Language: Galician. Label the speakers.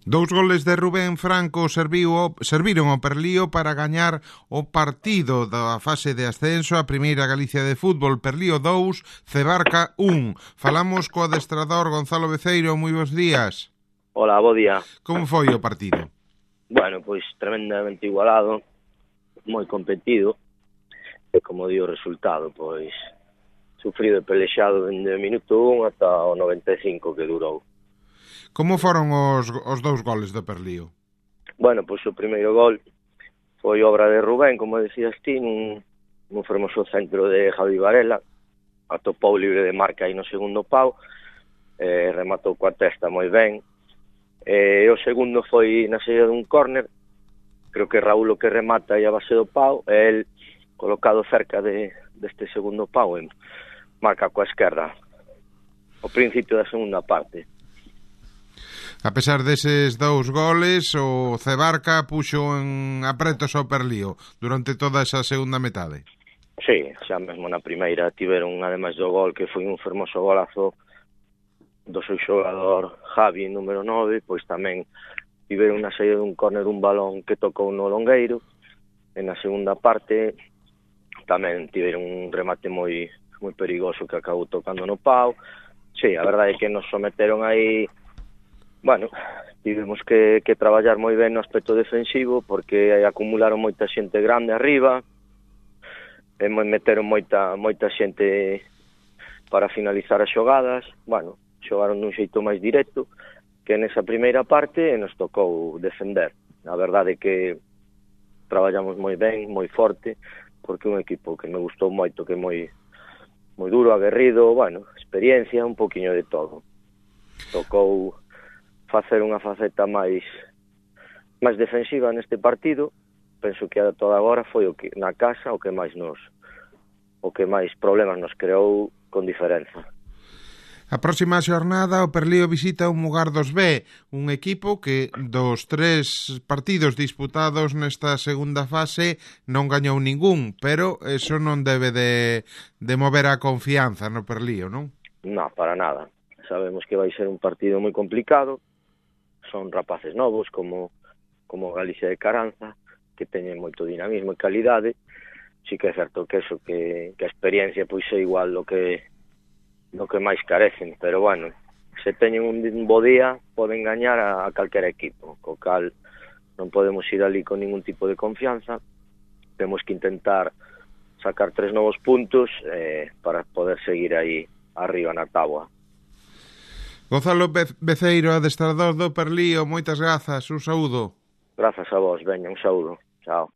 Speaker 1: Dous goles de Rubén Franco serviron ao Perlío para gañar o partido da fase de ascenso a Primeira Galicia de Fútbol. Perlío 2, Cebarca 1. Falamos co adestrador Gonzalo Beceiro. Moi bons días.
Speaker 2: Hola, bo día.
Speaker 1: Como foi o partido?
Speaker 2: Bueno, pois tremendamente igualado, moi competido, e como di o resultado, pois sufrido e pelexado dende o minuto 1 ata o 95 que durou.
Speaker 1: Como foron os dous goles do Perlío?
Speaker 2: Bueno, pois o primeiro gol foi obra de Rubén, como decías ti, nun fermoso centro de Javi Varela, atopou libre de marca aí no segundo pau, rematou coa testa moi ben. O segundo foi na saída dun córner, creo que Raúl o que remata aí a base do pau, e el colocado cerca deste segundo pau e marca coa esquerda o principio da segunda parte.
Speaker 1: A pesar deses dous goles, o Cebarca puxo en apretos ao Perlío durante toda esa segunda metade.
Speaker 2: Sí, xa mesmo na primeira tiveron, ademais do gol, que foi un fermoso golazo do seu xogador Javi, número 9, pois tamén tiveron na saída dun córner un balón que tocou no longueiro, e na segunda parte tamén tiveron un remate moi perigoso que acabou tocando no pau. Sí, a verdade é que nos someteron aí. Bueno, tivemos que traballar moi ben no aspecto defensivo porque acumularon moita xente grande arriba e meteron moita xente para finalizar as xogadas. Bueno, xogaron dun xeito máis directo que nesa primeira parte e nos tocou defender. A verdade é que traballamos moi ben, moi forte, porque un equipo que me gustou moito, que é moi duro, aguerrido, bueno, experiencia, un poquinho de todo. Tocou facer unha faceta máis defensiva neste partido. Penso que ata agora foi o que na casa o que máis problemas nos creou con diferenza.
Speaker 1: A próxima xornada o Perlío visita o Mugardos B, un equipo que dos 3 partidos disputados nesta segunda fase non gañou ningún, pero eso non debe de mover a confianza no Perlío, non?
Speaker 2: Non, para nada. Sabemos que vai ser un partido moi complicado. Son rapaces novos como Galicia de Caranza, que teñen moito dinamismo e calidade. Si que é certo que eso, que a experiencia pois é igual lo que máis carecen, pero bueno, se teñen un bo día poden gañar a calquera equipo, co cal non podemos ir ali con ningún tipo de confianza. Temos que intentar sacar 3 novos puntos para poder seguir aí arriba na táboa.
Speaker 1: Gonzalo Beceiro, adestrador do Perlío, moitas grazas, un saúdo.
Speaker 2: Grazas a vos, veña, un saúdo. Chao.